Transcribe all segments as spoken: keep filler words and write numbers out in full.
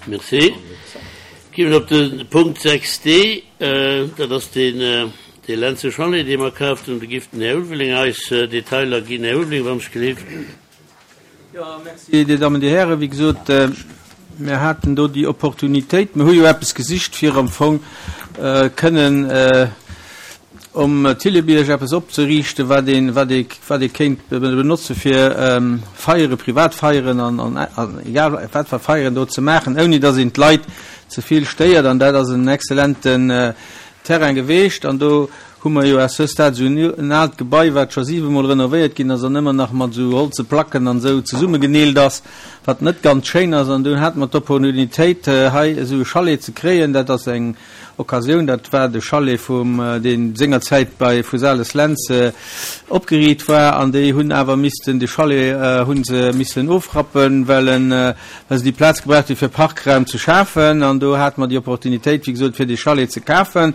Merci. Gi mer op de Punkt sechs D, dat ass deen, dee Lentzer Chalet, dee mer kaaft hunn. Do giff den Här Ulveling eis Detailer ginn. Här Ulveling, wann ech gleef. Jo, merci, Dir Dammen, Dir Hären. Wéi gesot, mir haten do déi Opportunitéit, mir hu jo eppes gesicht, fir am Fong kënnen um Thillebierg eppes opzeriichten, wat een, wat ee, wat ee kéint benotze fir Feieren, privat Feieren an, an, an egal wat fir Feieren do ze maachen, ouni datt een d'Leit ze vill stéiert. An dat ass en exzellenten Terrain geweecht. An do hu mer jo à ce stade esou en aalt Gebai, wat scho siwemol renovéiert ginn ass an ëmmer nach mat esou holze Placken an esou zesummegeneelt ass, wat net ganz schéin ass. An dunn hate mer d'Opportunitéit, hei esou e Chalet ze kréien. Dat ass eng Occasioun, dat war de Chalet vum, deen sengerzäit bei vu Sales-Lentz opgeriit war. An déi hunn awer missten, de Chalet hu se missen ofrappen, well en, well se déi Plaz gebraucht hu fir Parkraum ze schafen. An do hate mer déi Opportunitéit, wéi gesot, fir dee Chalet ze kafen.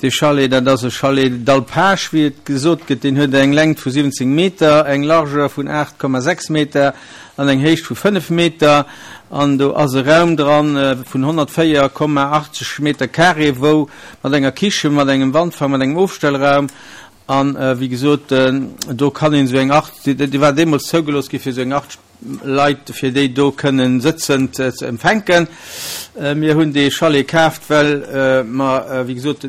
Dee Chalet, dat ass e Chalet d'alpage, wéi et gesot gëtt, deen huet eng Längt vu siwwenzéng Meter, eng Largeur vun aacht Komma sechs Meter an eng Héicht vu fënnef Meter. An do ass e Raum dran vun honnertvéier Komma achtzeg Meter carré, wou mat enger Kiche, mat engem Wandfang, mat engem Ofstellraum. An, wéi gesot, do kann een esou eng acht, déi war deemools zougelooss gi fir esou eng acht Leit, fir déi do kënnen sëtzend ze empfänken. Mir hunn dee Chalet kaaft, well mer, wéi gesot,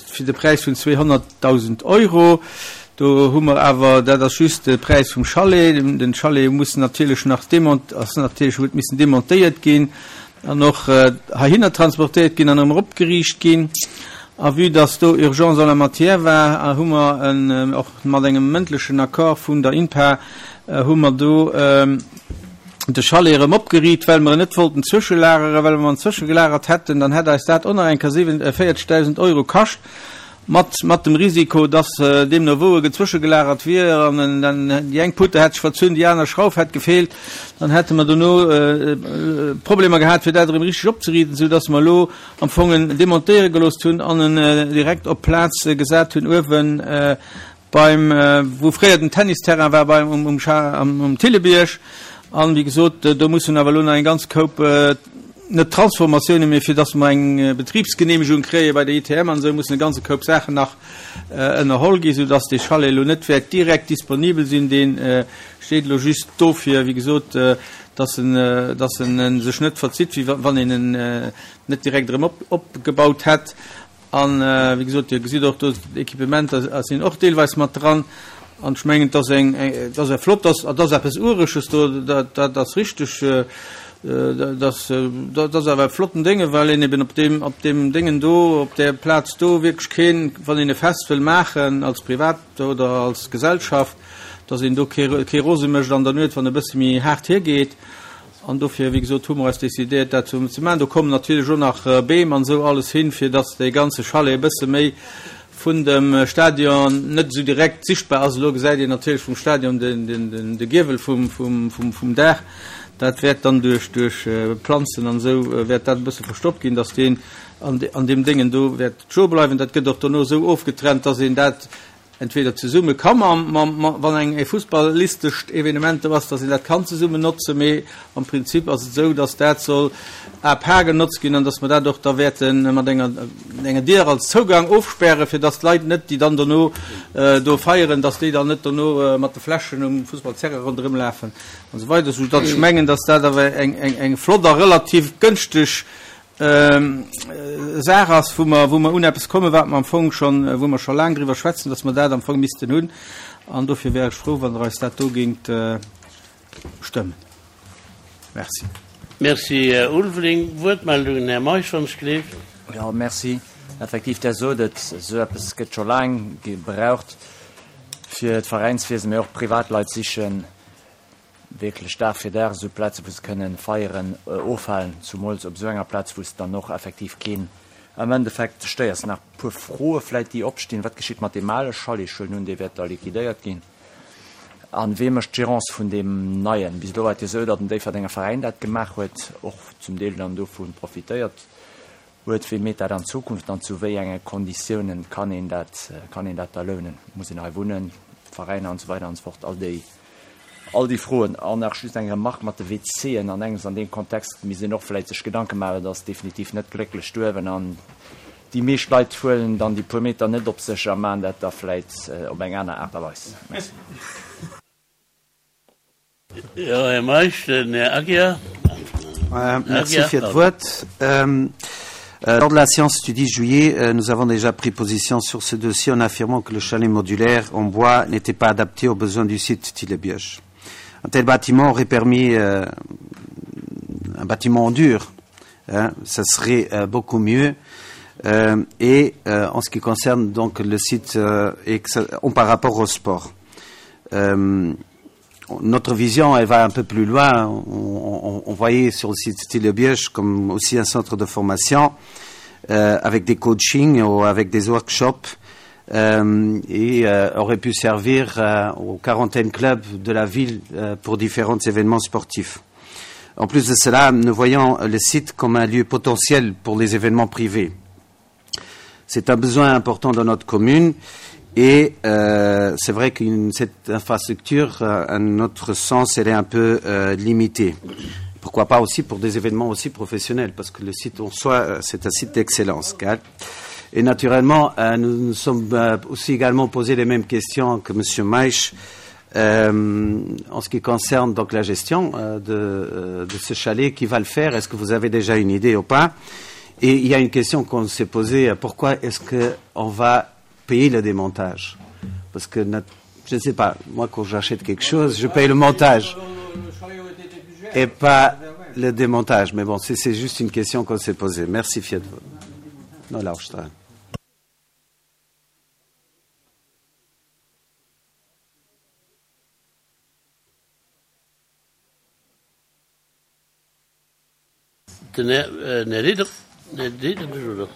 fir de Präis vun zweehonnertdausend Euro, do hu mer awer, dat ass just de Präis vum Chalet, den Chalet muss natierlech nach demont-, ass natierlech, huet missen demontéiert ginn an och heihinner transportéiert ginn an erëm eropgeriicht ginn. A vue dass do Urgence en la matière war, hu mer en, och mat engem mëndlechen Accord vun der INPA, hu mer do de Chalet erëm opgeriit, well mer en net wollten zwëschelageren, well wa mer en zwëschegelagert hätten, dann hätt eis dat och nach eng Kéier véierzegdausend Euro kascht, mat, mat dem Risiko, dass deemno wou e gezwëschegelagert wier an en dann déi eng Putte hätt sech verzunn, déi aner Schrauf hätt gefeelt, dann hätte mer dono Problemer gehat, fir dat erëm richteg opzeriiten, soudass mer elo am Fong en demontéiere gelooss hunn an en direkt op d'Plaz gesat hunn uewen beim, wou fréier den Tennisterrain war, beim, um, um, um Thillebierg. An, wéi gesot, do mussen awer elo nach eng ganz Koup, net Transformatiounen, mee fir dass mer eng Betribsgenehmegung kréie bei der I T M an esou, mussen e ganze Koup Saachen nach ënnerholl ginn, soudass dee Chalet elo net wäert direkt disponibel sinn. Dee steet elo just dofir, wéi gesot, dass en, dass en sech net verzitt, wéi wann een en net direkt erëm op, opgebaut hätt. An, wéi gesot, Dir gesitt och do, d'Equipementer sinn och deelweis mat dran. An ech mengen, et ass eng, et ass e flott, et ass eppes Ureges do, dat, dat ass richteg, dat ass, dat ass awer e flotten Dénge, well een eben op deem, op deem Déngen do, op där Plaz do wierklech keen, wann een e Fest wëll maachen als Privat oder als Gesellschaft, dass een do kee, kee Rose mécht an der Nuet, wann e bësse méi haart hiergeet. An dofir, wéi gesot, hu mer eis decidéiert, dat ze maachen. Do kommen natierlech och nach Beem an esou alles hin, fir dass dee ganze Chalet e bësse méi vun dem Stadion net esou direkt sichtbar ass. Elo gesäit een natierlech vum Stadion den, den, den, de Giewel vum, vum, vum, vum Daach. Dat wäert dann duerch, duerch Planzen an esou wäert dat e bësse verstoppt ginn, dass deen an, an deem Déngen do wäert stoe bleiwen. Dat gëtt och dono esou ofgetrennt, dass een dat entweder zesumme ka mam, mam, mam, wann eng e fussballistescht Evenement do ass, dass een dat kann zesummen notzen, mee am Prinzip ass et esou, dass dat soll à part genotzt ginn an dass mer dat och da wäerte mat enger, enger Dier als Zougang ofsperren, fir dass d'Leit net, déi dann dono do feieren, dass déi dann net dono mat de Fläschen um Fussballterrain ronderëm lafen an esou weider, sou dass ech mengen, dass dat awer eng, eng, eng flott a relativ gënschteg Saach ass, wou mer, wou mer un eppes kommen, wat mer am Fong schon, wou mer scho laang driwwer schwätzen, dass mer dat am Fong missten hunn. An dofir wär ech frou, wann Der eis dat do géingt stëmmen. Merci. Merci, Här Ulveling. Wuertmeldungen, Här Meisch, wann ech gleef. Jo, merci. Effektiv, Der sot et, esou eppes gëtt scho laang gebraucht fir d'Veräinswiesen, mee och Privatleit sichen wierklech Dag fir Dag esou Plaze wou se kënnen Feieren ofhalen, zumools op esou enger Plaz wou s dann och effektiv keen am Endeffekt stéiers. Nach e puer Froe vläit déi opstinn, Wat geschitt mat deem ale Chalet? Ech huelen un, dee wäert da liquidéiert ginn. An wee mécht d'Gérance vun deem neien? Bis elo war et jo esou, datt den Déifferdenger Veräin dat gemaach huet, och zum Deel dann dovu profitéiert huet. Wee meet dat an Zukunft an zu wéi enge Konditiounen kann een dat, kann een dat da lounen? Muss een hei wunnen, Veräiner an esou weider an esou fort, all déi, All déi Froen. An nach just eng Remark mat de WCen an engems an deem Kontext misst een och vläicht sech Gedanke maachen, dat ass definitiv net glécklech duerwen an déi meescht Leit huelen dann déi puer Meter net op sech a maachen dat da vläicht op eng aner Aart a Weis. Merci. Jo, Här Meisch, den Här Aguiar. Merci fir d'Wuert. Lors de la séance du dix juillet, nous avons déjà pris position sur ce dossier en affirmant que le chalet modulaire en bois n'était pas adapté aux besoins du site Thillebiège. Un tel bâtiment aurait permis euh, un bâtiment en dur, hein, ça serait euh, beaucoup mieux. Euh, et euh, en ce qui concerne donc le site euh, et que ça, en, par rapport au sport. Euh, notre vision, elle va un peu plus loin. On, on, on voyait sur le site Thillebiège comme aussi un centre de formation euh, avec des coachings ou avec des workshops euh, et euh, aurait pu servir euh, aux quarantaine clubs de la ville euh, pour différents événements sportifs. En plus de cela, nous voyons le site comme un lieu potentiel pour les événements privés. C'est un besoin important dans notre commune et euh, c'est vrai que cette infrastructure, euh, à notre sens, elle est un peu euh, limitée. Pourquoi pas aussi pour des événements aussi professionnels, parce que le site en soi, euh, c'est un site d'excellence. Et naturellement, euh, nous nous sommes euh, aussi également posé les mêmes questions que M. Meisch euh, en ce qui concerne donc la gestion euh, de, euh, de ce chalet. Qui va le faire? Est-ce que vous avez déjà une idée ou pas? Et il y a une question qu'on s'est posée, pourquoi est-ce qu'on va payer le démontage? Parce que, notre, je ne sais pas, moi quand j'achète quelque chose, je paye le montage et pas le démontage. Mais bon, c'est juste une question qu'on s'est posée. Merci Fiat. Non, là, je Den Här Diderich, oder?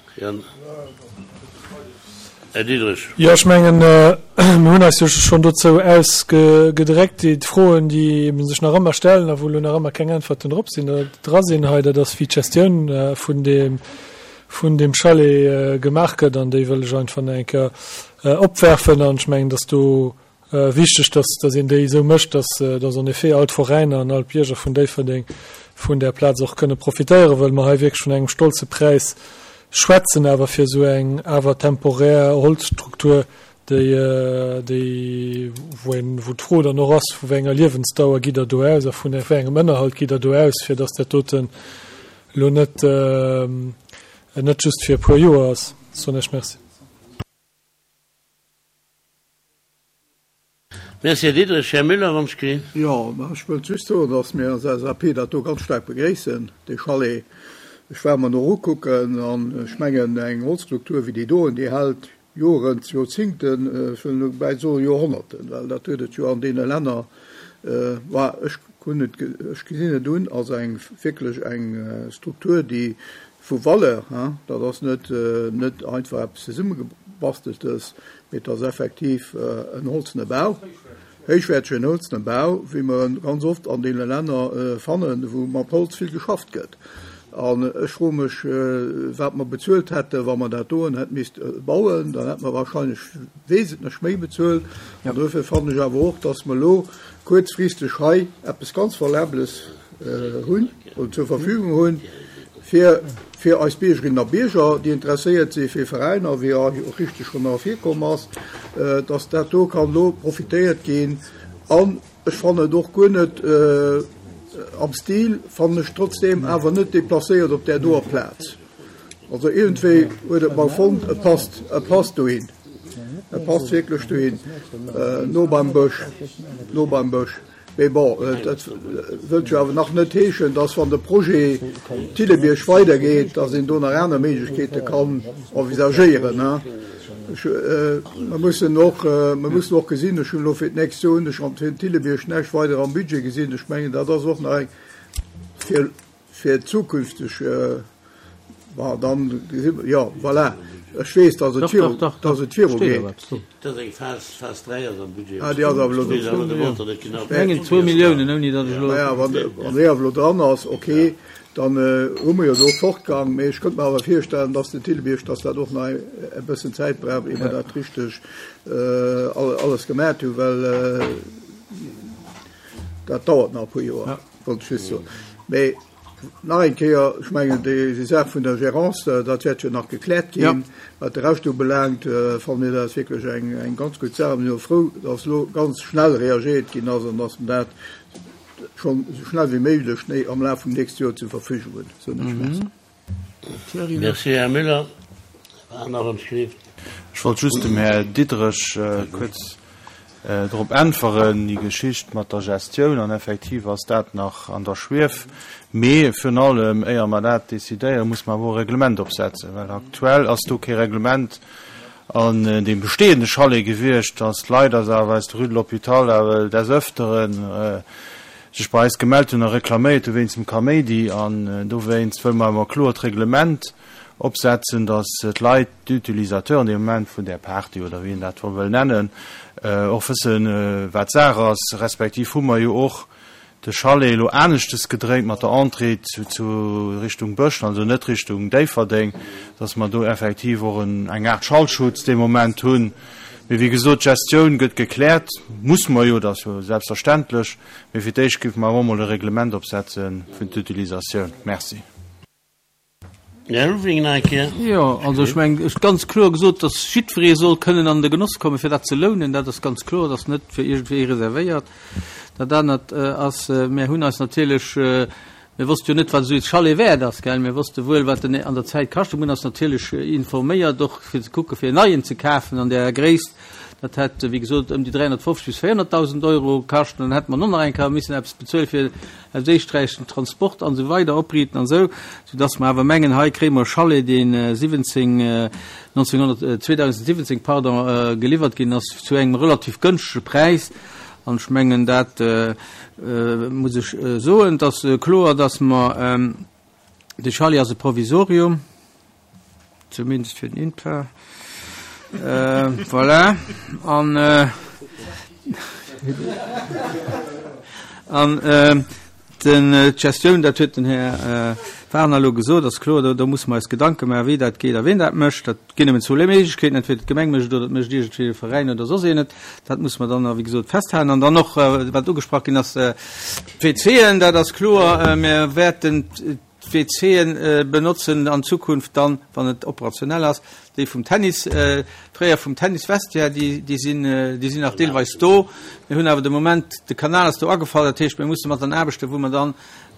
Här Diderich. Jo, ech mengen, mir hunn eis jo schonn dozou ausgedréckt. Déi Froen, déi sech nach ëmmer stellen a wou elo nach ëmmer keng Äntwerten drop sinn, dra sinn hei, dat ass, wéi d'Gestioun vun deem, vun deem Chalet gemaach gëtt. An déi wëll ech einfach nach eng Kéier opwerfen. An ech mengen, dass do wichteg, dass, dass een déi esou mécht, dass, dass en effet all d'Veräiner an all d'Bierger vun Déifferdeng vun där Plaz och kënne profitéieren, well mer hei wierklech vun engem stolze Präis schwätzen, awer fir esou eng awer temporär Holzstruktur, déi, déi, wou een, wou d'Fro dann och ass, vu wéi enger Liewensdauer gitt Der do aus a vun wéi engem Ënnerhalt gitt Der do aus, fir dass dat doten elo net, net just fir e puer Joer ass. Soen ech Merci. Merci, Här Diderich. Här Müller, wann ech kritt. Jo, ech wëllt just soen, dass mir als L S A P dat do ganz staark begréissen, dee Chalet. Ech war mer noch ukucken an ech mengen, eng Holzstruktur wéi déi doen, déi hält Joren, Joerzingten, ech wëll net bäi soen Joerhonnerten, well dat huet et jo an deene Länner, war. Ech hunn et, ech gesinn et un als eng wierklech eng Struktur, déi vu Valeur, hein, dat ass net, net einfach eppes Zesummegebasteltes, mee et ass effektiv en holzene Bau, héichwäertegen holzene Bau, wéi mer en ganz oft an deene Länner fannen, wou mat Holz vill geschafft gëtt. An ech froe mech, wat mer bezuelt hätten, wa mer dat doen hätt misst bauen. Dann hätt mer wahrscheinlech wesentlech méi bezuelt. An dofir fannen ech awer och, dass mer elo kuerzfristeg hei eppes ganz Valables hunn oder zur Verfügung hunn fir, fir eis Biergerinnen a Bierger, déi interesséiert si fir Veräiner, wéi och richteg schonn ervirkomm ass, dass dat do kann elo profitéiert ginn. An ech fannen et och guer net am Stil, fannen ech trotzdem awer net déplacéiert op där doer Plaz. Also iergendwéi huet et mer fonnt, et passt, et passt dohin. Et passt wierklech dohin, no beim Bësch, no beim Bësch. Mee bon, dat wëllt jo awer nach net heeschen, dass wann de Projet Thillebierg weidergeet, dass een do nach aner Méiglechkeete kann envisagéieren. Ech, mer mussen och, mer mussen och gesinn, ech hunn elo fir d'nächst Joer hunn ech am Thillebierg näischt weider am Budget gesinn. Ech mengen, dat ass och nach eng fir, fir zukünfteg, Bon, dann gesi mer, jo, voilà. Ech weess, dass et viru, dass et virugeet. Dat ass eng Phas, Phas dräi ass am Budget. Ah, déi ass awer elo do. Ech weess awer de Montant net genau. Ech mengen zwou Milliounen, ouni datt ech elo. Naja, wann, wann déi awer elo dran ass, okay, dann hu mer jo do Fortgang. Mee ech kënnt mer awer virstellen, dass den Thillebierg, dass dat och nach e bëssen Zäit brauch, ier mer dat richteg alles gemat hunn, well Dat dauert nach e puer Joer, wollt ech just soen. Mee nach eng Kéier, ech mengen, déi Saach vun der Gérance, dat wäert jo nach gekläert ginn. Wat de Rescht ubelaangt, fanne mir dat wierklech eng ganz gutt Saach. A mir si och frou, dass elo ganz schnell reagéiert ginn ass an dass mer dat schonn esou schnell wéi méiglech am Laf vum nächste Joer zur Verfügung hunn. Soen ech Merci. Merci, Här Müller. Aner ënschriwwen. Ech wollt just dem Här Diderich kuerz drop äntweren, déi Geschicht mat der Gestioun, an effektiv ass dat nach an der Schwief, mee virun allem, éier mer dat decidéieren, muss mer awer och e Reglement opsetzen, well aktuell ass do kee Reglement an deem bestehende Chalet gewiescht, dass d'Leit awer aus der Rue de l'Hôpital awer des Öfteren sech bei eis gemellt hunn a reklaméiert hu wéinst dem Kaméidi. An dowéinst wëlle mer awer e kloert Reglement opsetzen, dass d'Leit, d'Utilisateuren dee Moment vun där Party oder wéi een dat wëll nennen, och wëssen, wat Saach ass. Respektiv hu mer jo och de Chalet elo aneschtes gedréint mat der Entrée zu, zu Richtung Bësch, also net Richtung Déifferdeng, dass mer do effektiv och en, eng Aart Schallschutz dee Moment hunn. Mee wéi gesot, d'Gestioun gëtt gekläert, muss mer jo, dat ass jo selbstverständlech. Mee fir d'éischt géife mer awer och mol e Reglement opsetze fir d'Utilisatioun. Merci. Här Ulveling nach eng Kéier. Jo, also ech mengen, ech ganz kloer gesot, dass jiddweree soll kënnen an de Genoss kommen, fir dat ze lounen. Dat ass ganz kloer, dat ass net fir iergendwee reservéiert. Dat anert ass, mir hunn eis natierlech, mir wosste jo net, wat esou e Chalet wäert ass, gell. Mir wosste wuel, wat en an der Zäit kascht. Mir hunn eis natierlech informéiert, och fir ze kucken, fir en neien ze kafen an där Gréisst. Dat hätt, wéi gesot, ëm déi dräihonnertfofzeg bis véierhonnertdausend Euro kascht. Dann hätte mer noch eng Kéier missen eppes bezuelen fir aus Éisträich den Transport an esou weider opriiten an esou, soudass mer awer mengen, hei kréie mer e Chalet, deen siwwenzéng, neunzehnhundert, zweitausendsiwwenzéng, pardon, geliwwert ginn ass zu engem relativ gënschtege Präis. An ech mengen, dat muss ech soen, dass kloer, dass mer, de Chalet ass e Provisorium, zumindest fir den INPA. Äh, voilà. An, äh, an, äh, den, äh, d'Gestioun, dat huet den Här, äh, Wagner elo gesot, ass kloer, do, do musse mer eis Gedanke maachen, wéi dat geet a wien dat mécht. Dat ginn nëmmen zwou Méiglechkeeten, entweder d'Gemeng mécht et oder et mécht iergendwéi e Veräin oder soss een et. Dat musse mer dann nach, wéi gesot, festhalen. An dann och, äh, wat ugesprach ginn ass, äh, d'W C-en, dat ass kloer, äh, mir wäerten d'W C-en, äh, benotzen an Zukunft dann, wann et operationell ass, déi vum Tennis, äh, fréier vum Tennis-Vestiaire, déi, déi sinn, äh, déi sinn nach deelweis do. Mir hunn awer de Moment, de Kanal ass do agefall, dat heescht, mir musse mat den Aarbechten, wou mer dann,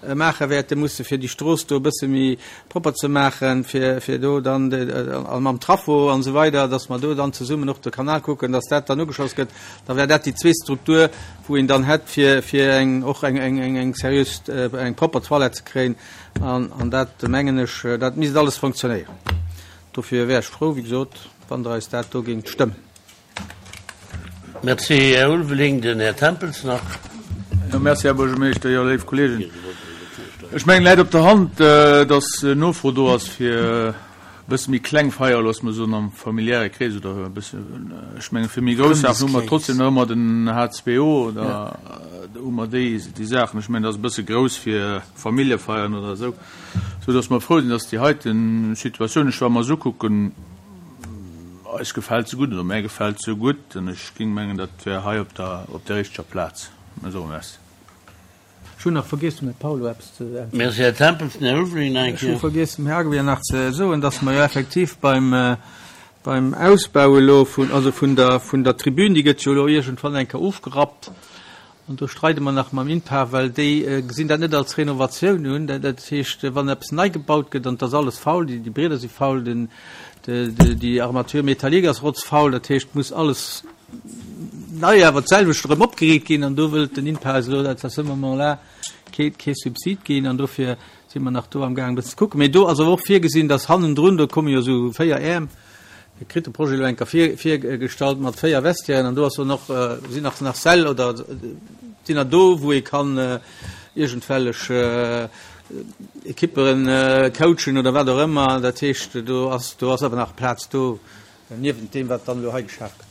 äh, maache wäerte musse, fir déi Strooss do e bësse méi propper ze maachen, fir, fir do dann de, äh, mam Trafo an esou weider, dass mer do dann zesummen och de Kanal kucken, dass dat dann ugeschloss gëtt. Da wär dat déi zweet Struktur, wou een dann hätt, fir, fir eng, och eng, eng, eng, eng seriös, äh, eng propper Toilette ze kréien. An, an dat mengen ech, dat misst alles funktionéieren. Dofir wär ech frou, wéi gesot, wann der eis dat do géingt stëmmen. Merci, Här Ulveling. Den Här Tempels nach. Ja, merci, Här Buergermeeschter. Jo, léif Kollegen. Ech mengen, läit op der Hand, äh, dass Nofro do ass fir e bësse méi kleng Feier, loosse mer soen, am familiäre Krees oder e bësse, ech mengen, fir méi grouss Saachen hu mer trotzdem nach ëmmer den H zwei O oder Ja. hu mer déi, déi Saachen. Ech mengen, dat ass e bësse grouss fir Familljefeiern oder esou. Sou dass mer frou sinn, dass déi heiten Situatioun, ech wa mer se ukucken, eis gefält se gutt oder mär gefält se gutt, an ech géing mengen, dat wär hei op der, op der richteger Plaz. Esou, merci. Ech hunn nach vergiess, dem Här Paulo eppes ze äntweren. Merci, Här Tempels. Den Här Ulveling nach eng Ech hu Kéier. vergiess, dem Här Aguiar nach ze soen, dass mer jo effektiv beim, äh, beim Ausbau elo vun, also vun der, vun der Tribün, déi gëtt jo elo iergendwann eng Kéier ofgerappt. An do streide mer nach mam INPA, well déi, äh, gesinn dat net als Renovatioun un. Dat, dat heescht, wann eppes nei gebaut gëtt, an das alles faul, déi, déi Brieder si faul, den, de, de, déi Armature métallique ass rotzfaul, dat heescht, muss alles nei awer d'selwecht erëm opgeriicht ginn, an do wëllt den INPA elo à ce moment-là kee, kee Subsid ginn, an dofir si mer nach do am Gang e bëssen ze kucken. Mee do ass awer och virgesinn, dass hannendrun, do komme jo sou véier Äerm, Dir kritt de Projet elo eng Kéier vir, virgestallt mat véier Vestiairen, an do ass och nach, äh, sinn nach, nach Säll oder sinn nach do, wou ee kann, äh, iergendwellech, äh, Ekippen, äh, coachen oder wat och ëmmer. Dat heescht, do ass, do ass awer nach Plaz do, niewent deem, wat dann elo hei geschaf gëtt.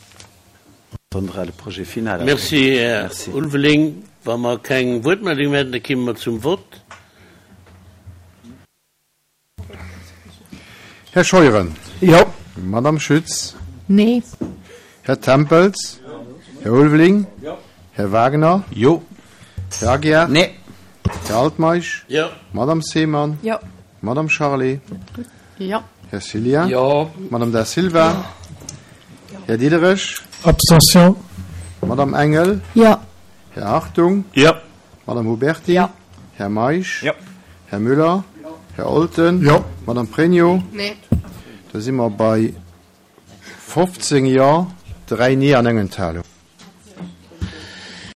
Attendra le projet final. Merci, Här Merci. Ulveling. Wa mer keng Wuertmeldung mehr hätten, da komme mer zum Vott. Här Scheuren. Jo. Madame Schütz. Nee. Här Tempels. Här Ulveling. Jo. Här Wagner. Jo. Här Aguiar? Nee. Här Altmeisch? Jo. Madame Seemann? Jo. Madame Charlé? Jo. Här Cillien? Jo. Madame Da Silva? Jo. Här Diderich? Abstention. Madame Engel? Jo. Här Hartung? Jo. Madame Huberti? Jo. Här Meisch? Jo. Här Müller? Jo. Här Olten? Jo. Madame Pregno? Nee. Da si mer bei fofzéng Jo, dräi Nee an eng Enthalung.